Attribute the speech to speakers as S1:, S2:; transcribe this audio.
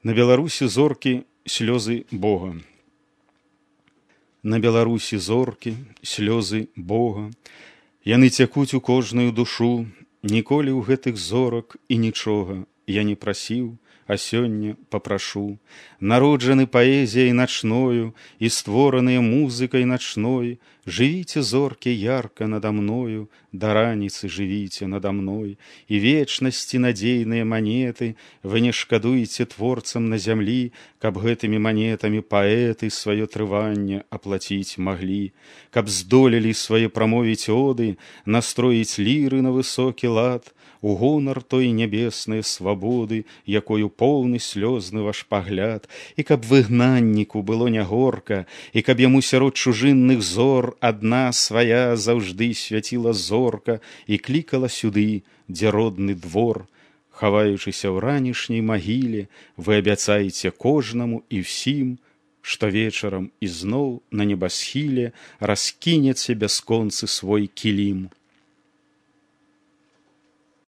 S1: На Беларусі зоркі слёзы Бога. На Беларусі зоркі слёзы Бога. Яны цякуць у кожную душу. Ніколі ў гэтых зорак і нічога я не прасіў, а сёння папрашу. Народжаны паэзіяй начною і створаныя музыкай начной. Жывіце, зоркі, ярка надо мною, да раніцы жывіце надо мной. І вечнасці надзейныя манеты вы не шкадуеце творцам на зямлі, каб гэтымі манетамі паэты сваё трыванне аплаціць маглі, каб здолелі свае прамовіць оды, настроіць ліры на высокі лад, у гонар той нябеснай свабоды, якою поўны слёзны ваш пагляд, і каб выгнанніку было не горка, і каб яму сярод чужынных зор адна свая заўжды свяціла зорка і клікала сюды, дзе родны двор. Хаваючыся ў ранішняй магіле, вы абяцаеце кожнаму і ўсім, што вечарам ізноў на небасхіле раскінеце бясконцы свой кілім.